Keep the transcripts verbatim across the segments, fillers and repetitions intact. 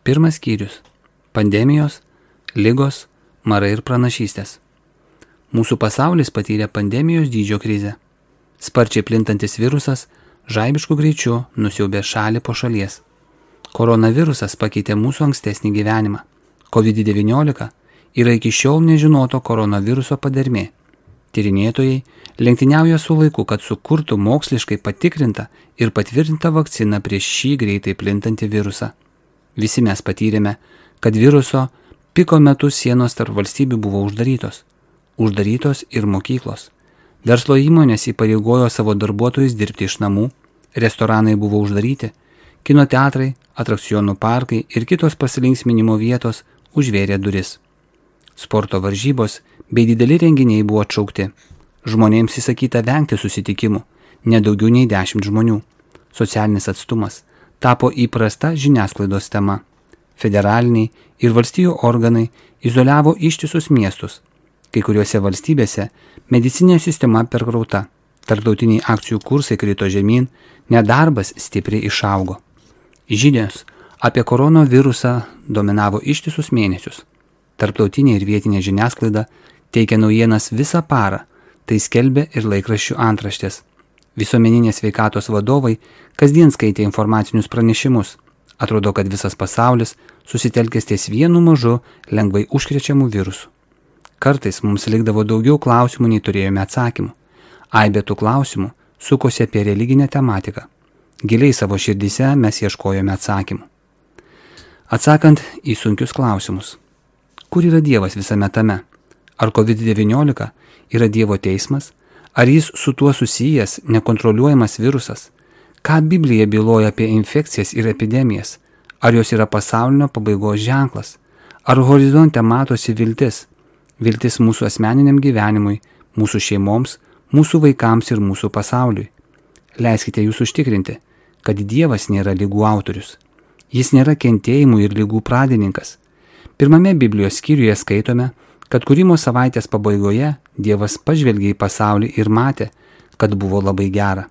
Pirmas skyrius – pandemijos, ligos, marai ir pranašystės. Mūsų pasaulis patyrė pandemijos dydžio krizę. Sparčiai plintantis virusas žaibišku greičiu nusiaubė šalį po šalies. Koronavirusas pakeitė mūsų ankstesnį gyvenimą. covid devyniolika yra iki šiol nežinoto koronaviruso padermė. Tyrinėtojai lenktyniauja su laiku, kad sukurtų moksliškai patikrintą ir patvirtintą vakciną prieš šį greitai plintantį virusą. Visi mes patyrėme, kad viruso piko metu sienos tarp valstybių buvo uždarytos. Uždarytos ir mokyklos. Verslo įmonės įpareigojo savo darbuotojus dirbti iš namų, restoranai buvo uždaryti, kino teatrai, atrakcionų parkai ir kitos pasilinksminimo vietos užvėrė duris. Sporto varžybos bei dideli renginiai buvo atšaukti. Žmonėms įsakyta vengti susitikimų, nedaugiau nei dešimt žmonių. Socialinis atstumas tapo įprasta žiniasklaidos tema. Federaliniai ir valstijų organai izoliavo ištisus miestus. Kai kuriuose valstybėse medicinė sistema perkrauta. Tarptautiniai akcijų kursai krito žemyn, nedarbas stipriai išaugo. Žinios apie koronavirusą dominavo ištisus mėnesius. Tarptautinė ir vietinė žiniasklaida teikia naujienas visą parą, tai skelbė ir laikraščių antraštės. Visuomeninės sveikatos vadovai kasdien skaitė informacinius pranešimus. Atrodo, kad visas pasaulis susitelkęs ties vienu mažu, lengvai užkrečiamu virusu. Kartais mums likdavo daugiau klausimų, nei turėjome atsakymų. Aibė tų klausimų sukosi apie religinę tematiką. Giliai savo širdyse mes ieškojome atsakymų. Atsakant į sunkius klausimus. Kur yra Dievas visame tame? Ar covid devyniolika yra Dievo teismas? Ar jis su tuo susijęs nekontroliuojamas virusas? Ką Biblija byloja apie infekcijas ir epidemijas? Ar jos yra pasaulinio pabaigos ženklas? Ar horizonte matosi viltis? Viltis mūsų asmeniniam gyvenimui, mūsų šeimoms, mūsų vaikams ir mūsų pasauliui. Leiskite jūs užtikrinti, kad Dievas nėra ligų autorius. Jis nėra kentėjimų ir ligų pradininkas. Pirmame Biblijos skyriuje skaitome, kad kūrimo savaitės pabaigoje Dievas pažvelgė į pasaulį ir matė, kad buvo labai gera.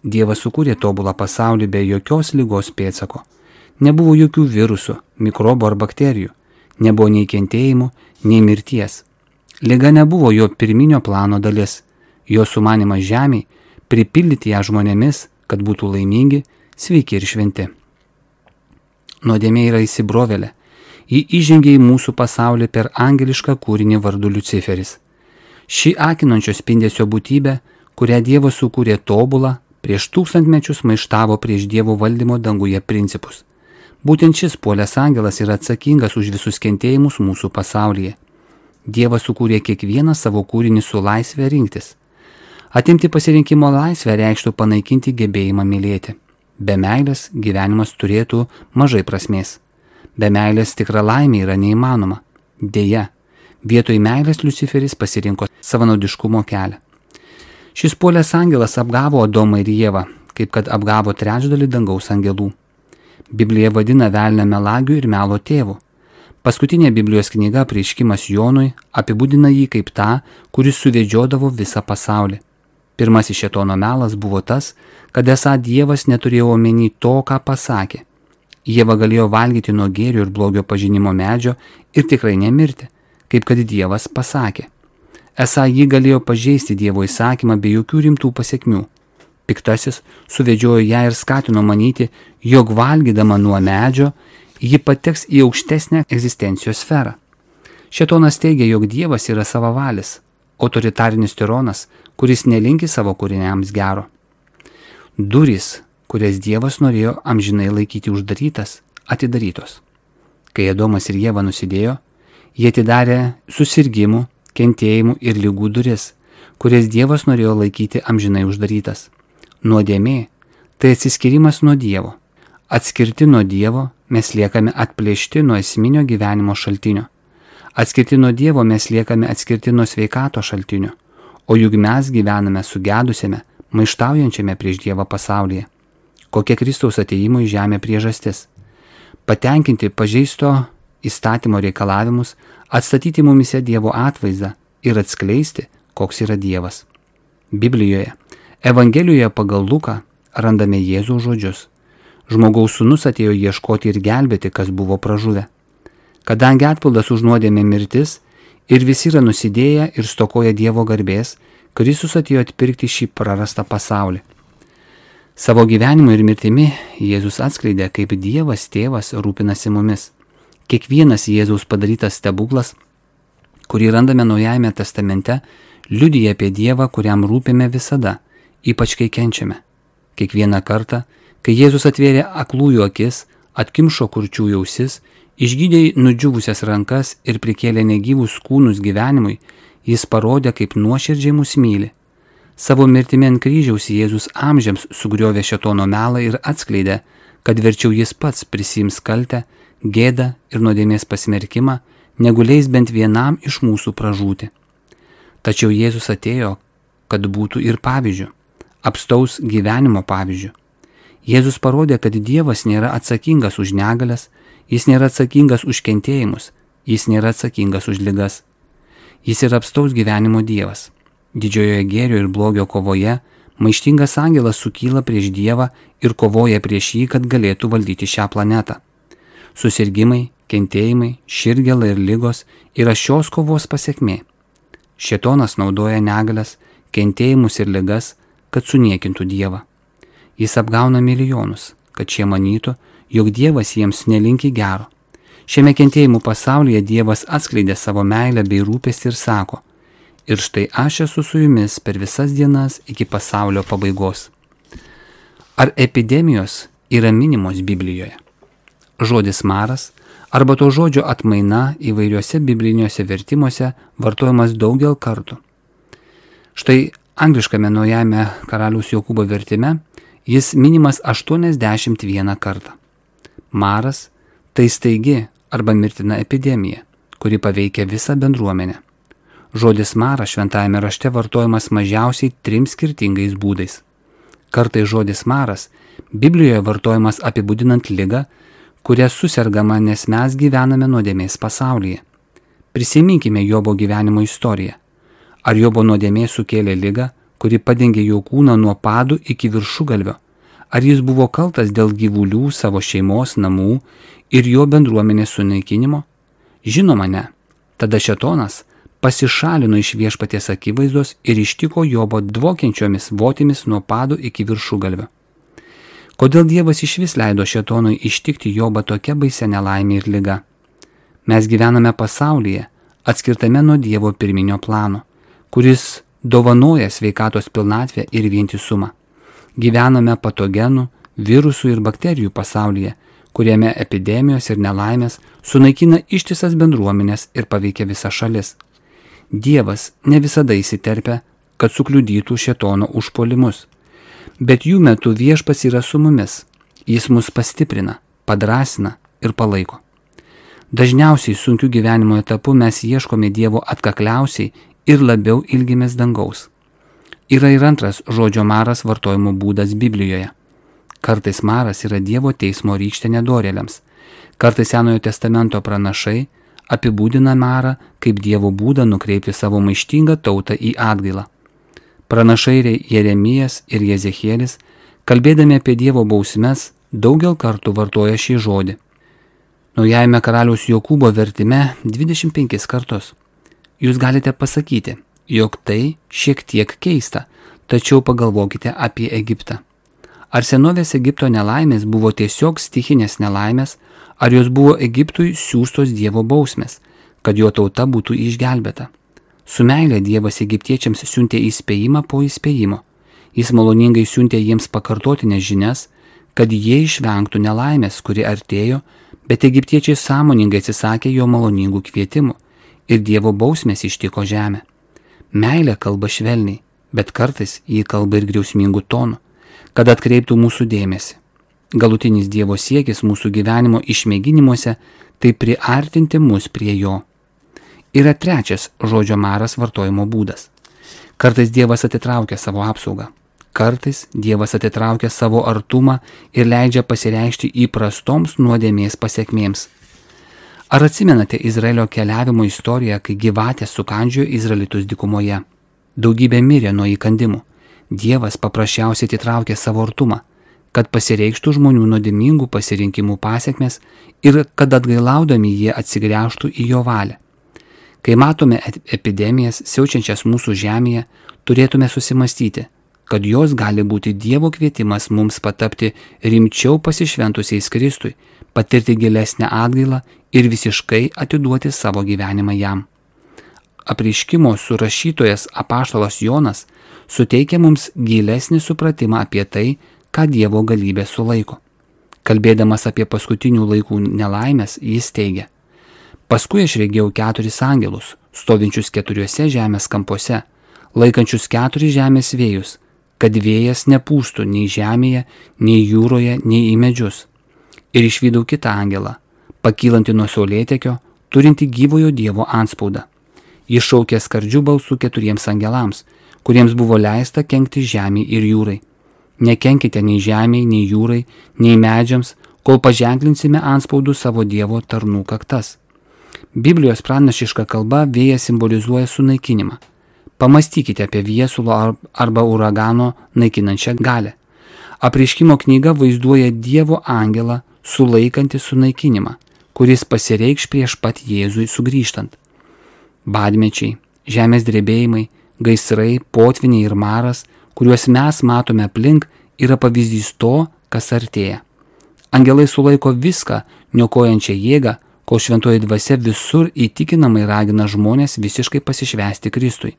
Dievas sukūrė tobulą pasaulį be jokios ligos pėdsako. Nebuvo jokių virusų, mikrobų ar bakterijų. Nebuvo nei kentėjimų, nei mirties. Liga nebuvo jo pirminio plano dalis. Jo sumanimas žemei pripildyti ją žmonėmis, kad būtų laimingi, sveiki ir šventi. Nuodėmė yra įsibrovėlė. Ji įžengė į mūsų pasaulį per angelišką kūrinį vardu Liuciferis. Ši akinančio spindesio būtybė, kurią Dievas sukūrė tobulą, prieš tūkstantmečius maištavo prieš Dievo valdymo danguje principus. Būtent šis puolęs angelas yra atsakingas už visus kentėjimus mūsų pasaulyje. Dievas sukūrė kiekvieną savo kūrinį su laisvė rinktis. Atimti pasirinkimo laisvę reikštų panaikinti gebėjimą mylėti. Be meilės gyvenimas turėtų mažai prasmės. Be meilės tikra laimė yra neįmanoma. Deja, vietoj meilės Liuciferis pasirinko savanaudiškumo kelią. Šis puolęs angelas apgavo Adomą ir Ievą, kaip kad apgavo trečdalį dangaus angelų. Biblija vadina velnią melagiu ir melo tėvu. Paskutinė Biblijos knyga Apreiškimas Jonui apibūdina jį kaip tą, kuris suvedžiodavo visą pasaulį. Pirmasis šėtono melas buvo tas, kad esą Dievas neturėjo omeny to, ką pasakė. Ieva galėjo valgyti nuo gėrio ir blogio pažinimo medžio ir tikrai nemirti, kaip kad Dievas pasakė. Esą ji galėjo pažeisti Dievo įsakymą be jokių rimtų pasekmių. Piktasis suvedžiojo ją ir skatino manyti, jog valgydama nuo medžio, ji pateks į aukštesnę egzistencijos sferą. Šėtonas teigia, jog Dievas yra savavalis, autoritarinis tironas, kuris nelinki savo kūriniams gero. Durys, kurias Dievas norėjo amžinai laikyti uždarytas, atidarytos. Kai Adomas ir Ieva nusidėjo, jie atidarė susirgimų, kentėjimų ir ligų duris, kurias Dievas norėjo laikyti amžinai uždarytas. Nuodėmė – tai atsiskyrimas nuo Dievo. Atskirti nuo Dievo mes liekame atplėšti nuo esminio gyvenimo šaltinio. Atskirti nuo Dievo mes liekame atskirti nuo sveikato šaltinio, o juk mes gyvename sugedusiame, maištaujančiame prieš Dievą pasaulyje. Kokia Kristaus atėjimo į žemę priežastis? Patenkinti pažeisto įstatymo reikalavimus, atstatyti mumise Dievo atvaizdą ir atskleisti, koks yra Dievas. Biblijoje, Evangelijoje pagal Luką randame Jėzaus žodžius. Žmogaus sūnus atėjo ieškoti ir gelbėti, kas buvo pražuvę. Kadangi atpildas už nuodėmę mirtis ir visi yra nusidėję ir stokoja Dievo garbės, Kristus atėjo atpirkti šį prarastą pasaulį. Savo gyvenimu ir mirtimi Jėzus atskleidė, kaip Dievas tėvas rūpinasi mumis. Kiekvienas Jėzaus padarytas stebuklas, kurį randame Naujajame testamente, liudija apie Dievą, kuriam rūpime visada, ypač kai kenčiame. Kiekvieną kartą, kai Jėzus atvėrė aklųjų akis, atkimšo kurčiųjų ausis, išgydė nudžiūvusias rankas ir prikėlė negyvus kūnus gyvenimui, jis parodė, kaip nuoširdžiai mus myli. Savo mirtimi ant kryžiaus Jėzus amžiams sugriovė šėtono melą ir atskleidė, kad verčiau jis pats prisiims kaltę, gėdą ir nuodėmės pasmerkimą, negu leis bent vienam iš mūsų pražūti. Tačiau Jėzus atėjo, kad būtų ir pavyzdžių, apstaus gyvenimo pavyzdžių. Jėzus parodė, kad Dievas nėra atsakingas už negalias, jis nėra atsakingas už kentėjimus, jis nėra atsakingas už ligas. Jis yra apstaus gyvenimo Dievas. Didžiojoje gėrio ir blogio kovoje maištingas angelas sukyla prieš Dievą ir kovoja prieš jį, kad galėtų valdyti šią planetą. Susirgimai, kentėjimai, širdgėla ir ligos yra šios kovos pasekmė. Šėtonas naudoja negalias, kentėjimus ir ligas, kad suniekintų Dievą. Jis apgauna milijonus, kad šie manytų, jog Dievas jiems nelinki gero. Šiame kentėjimų pasaulyje Dievas atskleidė savo meilę bei rūpestį ir sako: ir štai aš esu su jumis per visas dienas iki pasaulio pabaigos. Ar epidemijos yra minimos Biblijoje? Žodis maras arba to žodžio atmaina įvairiuose bibliniuose vertimuose vartojamas daugel kartų. Štai angliškame Naujajame karaliaus Jokūbo vertime jis minimas aštuoniasdešimt vieną kartą. Maras tai staigi arba mirtina epidemija, kuri paveikia visą bendruomenę. Žodis maras šventajame rašte vartojamas mažiausiai trim skirtingais būdais. Kartais žodis maras Biblijoje vartojamas apibūdinant ligą, kuria susergama, nes mes gyvename nuodėmės pasaulyje. Prisiminkime Jobo gyvenimo istoriją. Ar Jobo nuodėmė sukėlė ligą, kuri padengė jo kūną nuo padų iki viršugalvio? Ar jis buvo kaltas dėl gyvulių, savo šeimos, namų ir jo bendruomenės sunaikinimo? Žinoma, ne. Tada šėtonas pasišalino iš viešpaties akivaizdos ir ištiko Jobo dvokiančiomis votimis nuo padų iki viršugalvio. Kodėl Dievas išvis leido šėtonui ištikti Jobą tokia baisia nelaimė ir liga? Mes gyvename pasaulyje, atskirtame nuo Dievo pirminio plano, kuris dovanoja sveikatos pilnatvę ir vientisumą. Gyvename patogenų, virusų ir bakterijų pasaulyje, kuriame epidemijos ir nelaimės sunaikina ištisas bendruomenės ir paveikia visas šalis. Dievas ne visada įsiterpia, kad sukliudytų šėtono užpuolimus, bet jų metu viešpats yra su mumis, jis mus pastiprina, padrasina ir palaiko. Dažniausiai sunkių gyvenimo etapų mes ieškome Dievo atkakliausiai ir labiau ilgimės dangaus. Yra ir antras žodžio maras vartojimo būdas Biblijoje. Kartais maras yra Dievo teismo rykštė nedorėliams, kartais Senojo testamento pranašai apibūdina marą kaip Dievo būdą nukreipti savo maištingą tautą į atgailą. Pranašai Jeremijas ir Jezechielis, kalbėdami apie Dievo bausmes, daugel kartų vartoja šį žodį. Naujajame karaliaus Jokūbo vertime dvidešimt penkis kartus. Jūs galite pasakyti, jog tai šiek tiek keista, tačiau pagalvokite apie Egiptą. Ar senovės Egipto nelaimės buvo tiesiog stichinės nelaimės, ar jos buvo Egiptui siųstos Dievo bausmės, kad jo tauta būtų išgelbėta? Su meilė Dievas egiptiečiams siuntė įspėjimą po įspėjimo. Jis maloningai siuntė jiems pakartotinės žinias, kad jie išvengtų nelaimės, kuri artėjo, bet egiptiečiai sąmoningai atsisakė jo maloningų kvietimų ir Dievo bausmės ištiko žemę. Meilė kalba švelniai, bet kartais jį kalba ir griausmingų tonų, kad atkreiptų mūsų dėmesį. Galutinis Dievo siekis mūsų gyvenimo išmėginimuose tai priartinti mus prie jo. Yra trečias žodžio maras vartojimo būdas. Kartais Dievas atitraukia savo apsaugą. Kartais Dievas atitraukia savo artumą ir leidžia pasireikšti įprastoms nuodėmės pasekmėms. Ar atsimenate Izraelio keliavimo istoriją, kai gyvatės sukandžiojo Izraelitus dykumoje? Daugybė mirė nuo įkandimų. Dievas paprasčiausiai atitraukė savo artumą. kad pasireikštų žmonių nuodėmingų pasirinkimų pasiekmes ir kad atgailaudami jie atsigręžtų į jo valią. Kai matome epidemijas siaučiančias mūsų žemėje, turėtume susimastyti, kad jos gali būti Dievo kvietimas mums patapti rimčiau pasišventusiais Kristui, patirti gilesnę atgailą ir visiškai atiduoti savo gyvenimą jam. Apreiškimo surašytojas apaštalas Jonas suteikia mums gilesnį supratimą apie tai, ką Dievo galybė sulaiko. Kalbėdamas apie paskutinių laikų nelaimės, jis teigia: paskui aš regėjau keturis angelus, stovinčius keturiuose žemės kampuose, laikančius keturis žemės vėjus, kad vėjas nepūstų nei žemėje, nei jūroje, nei į medžius. Ir išvydau kitą angelą, pakylantį nuo saulėtekio, turinti gyvojo Dievo antspaudą. Jis šaukė skardžiu balsu keturiems angelams, kuriems buvo leista kenkti žemei ir jūrai. Nekenkite nei žemiai, nei jūrai, nei medžiams, kol paženklinsime antspaudų savo Dievo tarnų kaktas. Biblijos pranašiška kalba vėjas simbolizuoja sunaikinimą. Pamastykite apie viesulo arba uragano naikinančią galią. Apreiškimo knyga vaizduoja Dievo angelą sulaikantį sunaikinimą, kuris pasireikš prieš pat Jėzui sugrįžtant. Badmečiai, žemės drebėjimai, gaisrai, potviniai ir maras, kuriuos mes matome aplink, yra pavyzdys to, kas artėja. Angelai sulaiko viską niokojančią jėgą, kol šventoji dvasia visur įtikinamai ragina žmonės visiškai pasišvęsti Kristui.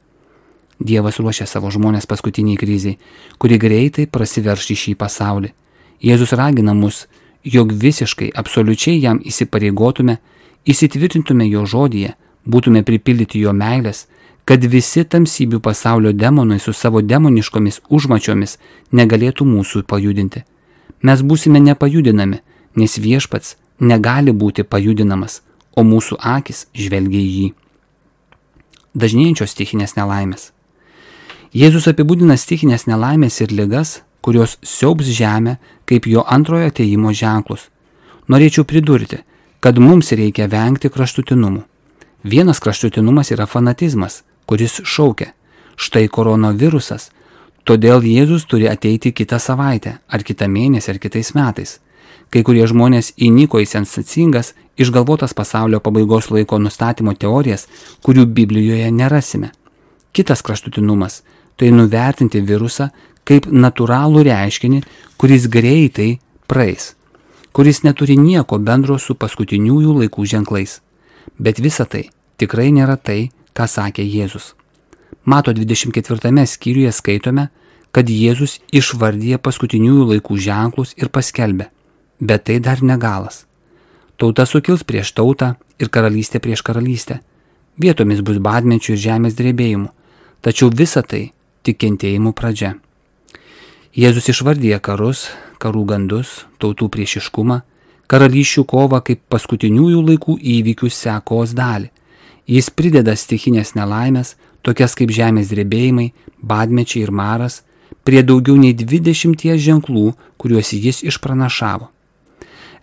Dievas ruošia savo žmonės paskutiniai kriziai, kuri greitai prasiverš į šį pasaulį. Jėzus ragina mus, jog visiškai, absoliučiai jam įsipareigotume, įsitvirtintume jo žodyje, būtume pripildyti jo meilės, kad visi tamsybių pasaulio demonai su savo demoniškomis užmačiomis negalėtų mūsų pajudinti. Mes būsime nepajudinami, nes viešpats negali būti pajudinamas, o mūsų akis žvelgia į jį. Dažnėjančios stichinės nelaimės. Jėzus apibūdina stichinės nelaimės ir ligas, kurios siaubs žemę kaip jo antrojo atėjimo ženklus. Norėčiau pridurti, kad mums reikia vengti kraštutinumų. Vienas kraštutinumas yra fanatizmas, kuris šaukia: štai koronavirusas, todėl Jėzus turi ateiti kitą savaitę, ar kitą mėnesį, ar kitais metais. Kai kurie žmonės įniko į sensacingas, išgalvotas pasaulio pabaigos laiko nustatymo teorijas, kurių Biblijoje nerasime. Kitas kraštutinumas – tai nuvertinti virusą kaip natūralų reiškinį, kuris greitai praeis, kuris neturi nieko bendro su paskutiniųjų laikų ženklais. Bet visa tai tikrai nėra tai, ką sakė Jėzus. Mato dvidešimt ketvirtame skyriuje skaitome, kad Jėzus išvardyja paskutiniųjų laikų ženklus ir paskelbė: bet tai dar negalas. Tauta sukils prieš tautą ir karalystė prieš karalystę. Vietomis bus badmečių ir žemės drebėjimų, tačiau visa tai tik kentėjimų pradžia. Jėzus išvardyja karus, karų gandus, tautų priešiškumą, karalysčių kovą kaip paskutiniųjų laikų įvykių sekos dalį. Jis prideda stichinės nelaimės, tokias kaip žemės drebėjimai, badmečiai ir maras, prie daugiau nei dvidešimties ženklų, kuriuos jis išpranašavo.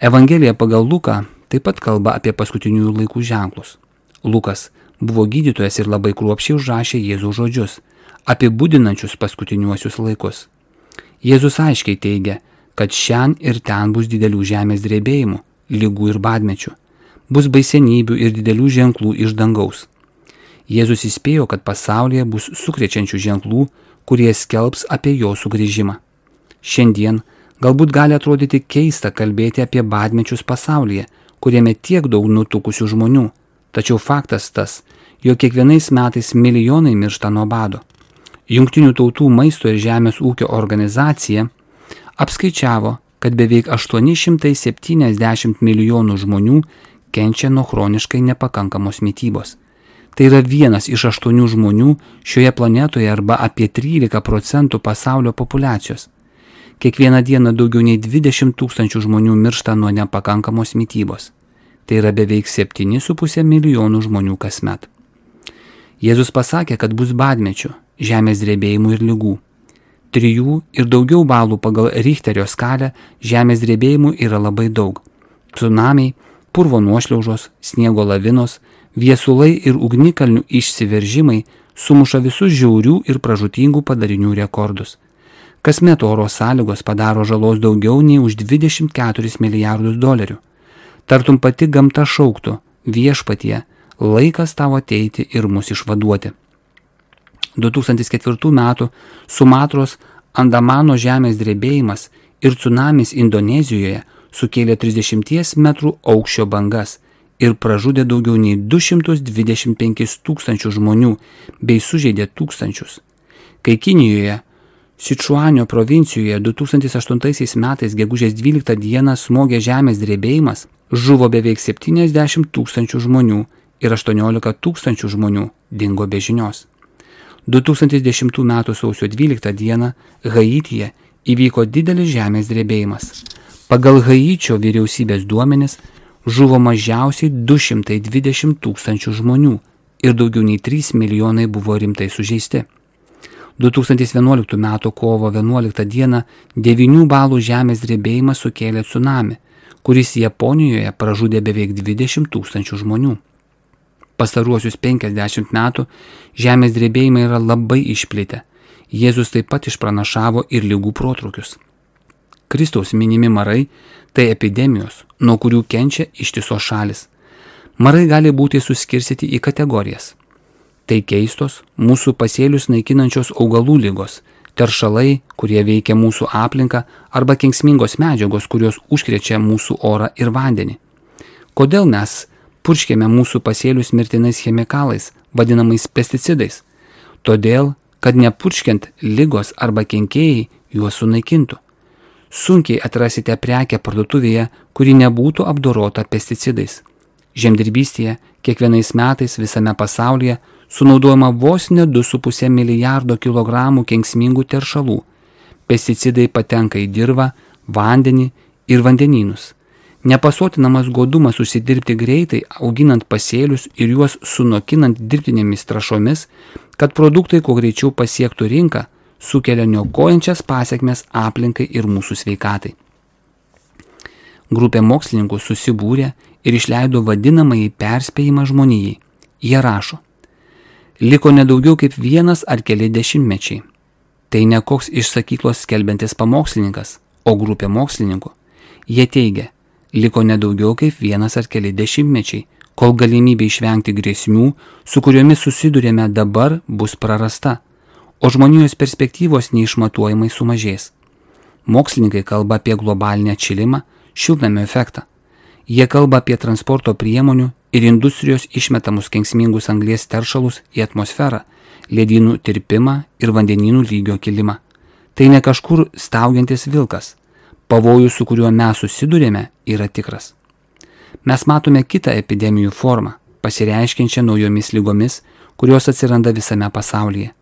Evangelija pagal Luką taip pat kalba apie paskutiniųjų laikų ženklus. Lukas buvo gydytojas ir labai kruopščiai užrašė Jėzaus žodžius, apibūdinančius paskutiniuosius laikus. Jėzus aiškiai teigia, kad šiandien ir ten bus didelių žemės drebėjimų, ligų ir badmečių. Bus baisenybių ir didelių ženklų iš dangaus. Jėzus įspėjo, kad pasaulyje bus sukrečiančių ženklų, kurie skelbs apie jo sugrįžimą. Šiandien galbūt gali atrodyti keista kalbėti apie badmečius pasaulyje, kuriame tiek daug nutukusių žmonių, tačiau faktas tas, jog kiekvienais metais milijonai miršta nuo bado. Jungtinių tautų maisto ir žemės ūkio organizacija apskaičiavo, kad beveik aštuoni šimtai septyniasdešimt milijonų žmonių kenčia nuo chroniškai nepakankamos mitybos. Tai yra vienas iš aštuonių žmonių šioje planetoje arba apie trylika procentų pasaulio populiacijos. Kiekvieną dieną daugiau nei dvidešimt tūkstančių žmonių miršta nuo nepakankamos mitybos. Tai yra beveik septyni su pusė milijonų žmonių kasmet. Jėzus pasakė, kad bus badmečių, žemės drebėjimų ir ligų. Trijų ir daugiau balų pagal Richterio skalę žemės drebėjimų yra labai daug. Tsunamiai, purvo nuošliaužos, sniego lavinos, viesulai ir ugnikalnių išsiveržimai sumuša visus žiaurių ir pražūtingų padarinių rekordus. Kasmet oro sąlygos padaro žalos daugiau nei už dvidešimt keturis milijardus dolerių. Tartum pati gamta šauktų: viešpatie, laikas tavo ateiti ir mus išvaduoti. du tūkstantis ketvirtų metų Sumatros Andamano žemės drebėjimas ir tsunamis Indonezijoje sukėlė trisdešimties metrų aukščio bangas ir pražudė daugiau nei du šimtus dvidešimt penkis tūkstančių žmonių bei sužeidė tūkstančius. Kai Kinijoje, Sičuanio provincijoje du tūkstantis aštuntaisiais metais gegužės dvyliktą dieną smogė žemės drebėjimas, žuvo beveik septyniasdešimt tūkstančių žmonių ir aštuoniolika tūkstančių žmonių dingo be žinios. du tūkstantis dešimtų metų sausio dvyliktą dieną Haityje įvyko didelis žemės drebėjimas. Pagal Haičio vyriausybės duomenis žuvo mažiausiai du šimtai dvidešimt tūkstančių žmonių ir daugiau nei trys milijonai buvo rimtai sužeisti. du tūkstantis vienuoliktų metų kovo vienuoliktą dieną devynių balų žemės drebėjimas sukėlė tsunami, kuris Japonijoje pražudė beveik dvidešimt tūkstančių žmonių. Pastaruosius penkiasdešimt metų žemės drebėjimai yra labai išplitę. Jėzus taip pat išpranašavo ir ligų protrukius. Kristaus minimi marai – tai epidemijos, nuo kurių kenčia ištisos šalis. Marai gali būti suskirstyti į kategorijas. Tai keistos, mūsų pasėlius naikinančios augalų ligos, teršalai, kurie veikia mūsų aplinką, arba kenksmingos medžiagos, kurios užkrečia mūsų orą ir vandenį. Kodėl mes purškėme mūsų pasėlius mirtinais chemikalais, vadinamais pesticidais? Todėl, kad nepurškiant ligos arba kenkėjai juos sunaikintų. Sunkiai atrasite prekę parduotuvėje, kuri nebūtų apdorota pesticidais. Žemdirbystėje kiekvienais metais visame pasaulyje sunaudojama vos ne du su puse milijardo kilogramų kenksmingų teršalų. Pesticidai patenka į dirvą, vandenį ir vandenynus. Nepasotinamas godumas užsidirbti greitai, auginant pasėlius ir juos sunokinant dirbtinėmis trąšomis, kad produktai kuo greičiau pasiektų rinką, sukelia niokojančias pasekmes aplinkai ir mūsų sveikatai. Grupė mokslininkų susibūrė ir išleido vadinamąjį perspėjimą žmonijai. Jie rašo: liko nedaugiau kaip vienas ar keli dešimtmečiai. Tai ne koks iš sakyklos skelbiantis pamokslininkas, o grupė mokslininkų. Jie teigia: liko nedaugiau kaip vienas ar keli dešimtmečiai, kol galimybė išvengti grėsmių, su kuriomis susidurėme dabar, bus prarasta, o žmonijos perspektyvos neišmatuojamai sumažės. Mokslininkai kalba apie globalinį atšilimą, šiltnamio efektą. Jie kalba apie transporto priemonių ir industrijos išmetamus kenksmingus anglies teršalus į atmosferą, ledynų tirpimą ir vandenynų lygio kilimą. Tai ne kažkur staugiantis vilkas. Pavojus, su kuriuo mes susidurėme, yra tikras. Mes matome kitą epidemijų formą, pasireiškiančią naujomis lygomis, kurios atsiranda visame pasaulyje.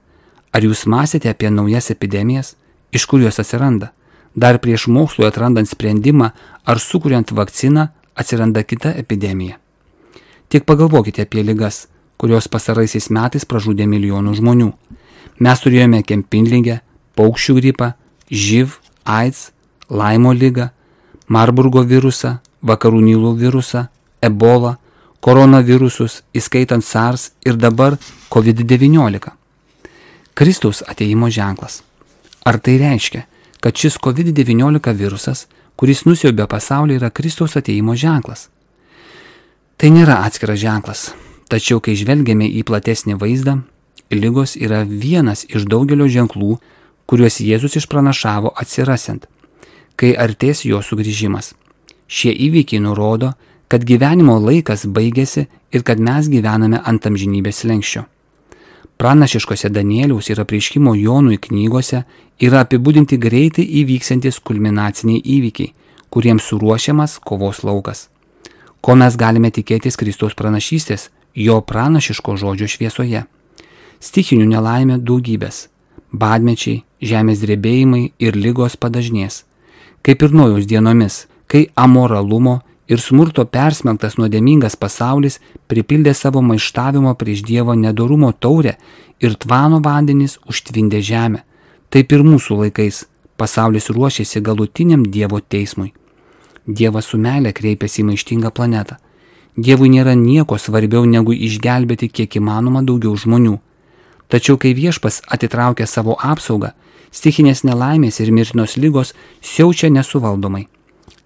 Ar jūs mąstėte apie naujas epidemijas? Iš kur jos atsiranda? Dar prieš mokslui atrandant sprendimą ar sukuriant vakciną atsiranda kita epidemija. Tik pagalvokite apie ligas, kurios pastaraisiais metais pražudė milijonų žmonių. Mes turėjome kempinligę, paukščių gripą, živ, AIDS, Laimo ligą, Marburgo virusą, Vakarų Nilo virusą, Ebola, koronavirusus, įskaitant SARS ir dabar COVID devyniolika. Kristaus ateimo ženklas. Ar tai reiškia, kad šis COVID devyniolika virusas, kuris nusiaubė pasaulį, yra Kristaus ateimo ženklas? Tai nėra atskiras ženklas, tačiau kai žvelgiame į platesnį vaizdą, ligos yra vienas iš daugelio ženklų, kuriuos Jėzus išpranašavo atsirasiant, kai artės jo sugrįžimas. Šie įvykiai nurodo, kad gyvenimo laikas baigėsi ir kad mes gyvename ant amžinybės slenksčio. Pranašiškose Danieliaus ir apreiškimo Jonui knygose yra apibūdinti greitai įvyksiantis kulminaciniai įvykiai, kuriems suruošiamas kovos laukas. Ko mes galime tikėtis Kristaus pranašystės, jo pranašiško žodžio šviesoje? Stichinių nelaimė daugybės, badmečiai, žemės drebėjimai ir ligos padažnės. Kaip ir Nojaus dienomis, kai amoralumo ir smurto persmelktas nuodėmingas pasaulis pripildė savo maištavimo prieš Dievo nedorumo taurę ir tvano vandenys užtvindė žemę. Taip ir mūsų laikais pasaulis ruošiasi galutiniam Dievo teismui. Dievas su meile kreipiasi į maištingą planetą. Dievui nėra nieko svarbiau negu išgelbėti kiek įmanoma daugiau žmonių. Tačiau kai Viešpas atitraukia savo apsaugą, Stichinės nelaimės ir mirtinos lygos siaučia nesuvaldomai.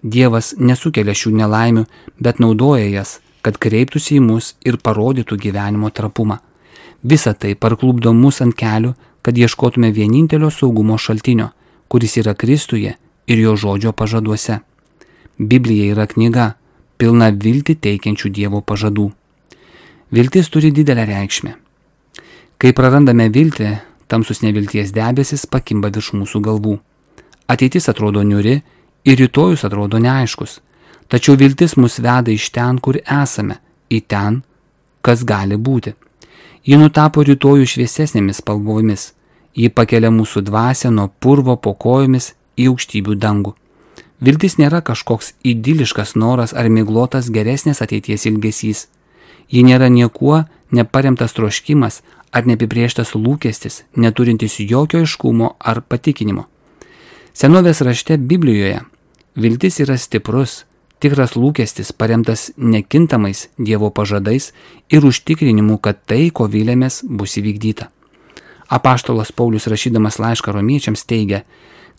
Dievas nesukelia šių nelaimių, bet naudoja jas, kad kreiptųsi į mus ir parodytų gyvenimo trapumą. Visa tai parklupdo mus ant kelių, kad ieškotume vienintelio saugumo šaltinio, kuris yra Kristuje ir jo žodžio pažaduose. Biblija yra knyga, pilna viltį teikiančių Dievo pažadų. Viltis turi didelę reikšmę. Kai prarandame viltį, tamsus nevilties debesis pakimba virš mūsų galvų. Ateitis atrodo niūri ir rytojus atrodo neaiškus. Tačiau viltis mus veda iš ten, kur esame, į ten, kas gali būti. Ji nutapo rytojų šviesesnėmis spalvomis. Ji pakelia mūsų dvasią nuo purvo po kojomis į aukštybių dangų. Viltis nėra kažkoks idiliškas noras ar miglotas geresnės ateities ilgesys. Ji nėra niekuo neparemtas troškimas ar neapibrėžtas lūkestis, neturintis jokio aiškumo ar patikinimo. Senovės rašte Biblijoje viltis yra stiprus, tikras lūkestis paremtas nekintamais Dievo pažadais ir užtikrinimu, kad tai, ko vylėmės, bus įvykdyta. Apaštalas Paulius rašydamas laišką romiečiams teigia,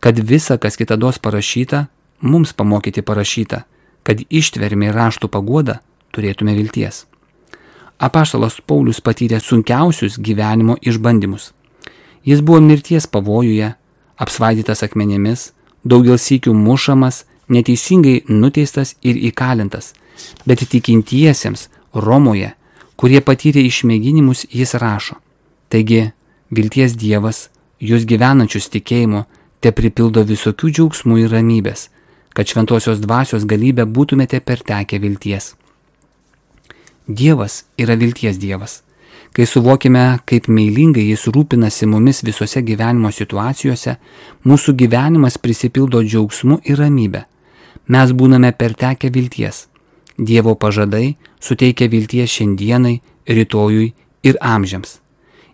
kad visa, kas kitados parašyta, mums pamokyti parašyta, kad ištvermė ir raštų paguoda turėtume vilties. Apaštalas Paulius patyrė sunkiausius gyvenimo išbandymus. Jis buvo mirties pavojuje, apsvaidytas akmenėmis, daugel sykių mušamas, neteisingai nuteistas ir įkalintas, bet tikintiesiems Romoje, kurie patyrė išmėginimus, jis rašo: taigi, vilties Dievas, jūs gyvenančius tikėjimu, te pripildo visokių džiaugsmų ir ramybės, kad šventosios dvasios galybę būtumėte pertekę vilties. Dievas yra vilties Dievas. Kai suvokime, kaip meilingai jis rūpinasi mumis visose gyvenimo situacijose, mūsų gyvenimas prisipildo džiaugsmu ir ramybę. Mes būname pertekę vilties. Dievo pažadai suteikia vilties šiandienai, rytojui ir amžiams.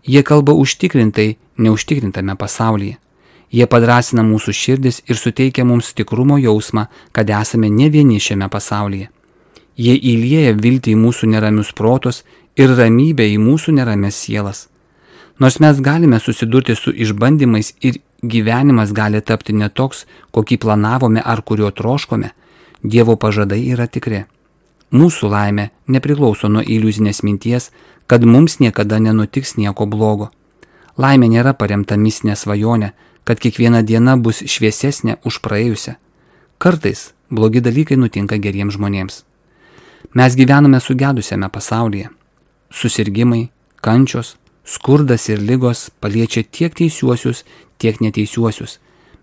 Jie kalba užtikrintai neužtikrintame pasaulyje. Jie padrasina mūsų širdis ir suteikia mums tikrumo jausmą, kad esame ne vieni šiame pasaulyje. Jie įlieja viltį į mūsų neramius protus ir ramybę į mūsų neramias sielas. Nors mes galime susidurti su išbandymais ir gyvenimas gali tapti netoks, kokį planavome ar kurio troškome, Dievo pažadai yra tikri. Mūsų laimė nepriklauso nuo iliuzinės minties, kad mums niekada nenutiks nieko blogo. Laimė nėra paremta mistinė svajonė, kad kiekviena diena bus šviesesnė už praėjusią. Kartais blogi dalykai nutinka geriems žmonėms. Mes gyvename sugedusiame pasaulyje. Susirgimai, kančios, skurdas ir ligos paliečia tiek teisiuosius, tiek neteisiuosius.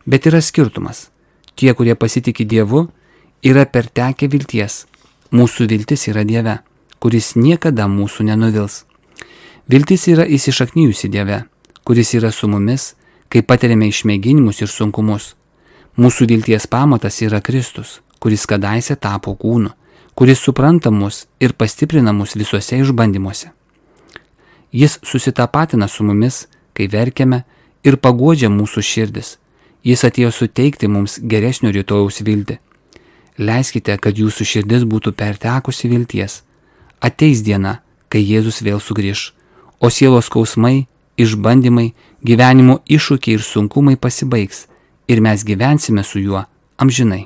Bet yra skirtumas. Tie, kurie pasitiki Dievu, yra pertekę vilties. Mūsų viltis yra Dieve, kuris niekada mūsų nenuvils. Viltis yra įsišaknijusi Dieve, kuris yra su mumis, kai patiriame išmėginimus ir sunkumus. Mūsų vilties pamatas yra Kristus, kuris kadaise tapo kūnu, kuris supranta mus ir pastiprina mus visuose išbandymuose. Jis susitapatina su mumis, kai verkiame, ir paguodžia mūsų širdis. Jis atėjo suteikti mums geresnio rytojaus viltį. Leiskite, kad jūsų širdis būtų pertekusi vilties. Ateis diena, kai Jėzus vėl sugrįš, o sielos skausmai, išbandymai, gyvenimo iššūkiai ir sunkumai pasibaigs ir mes gyvensime su juo amžinai.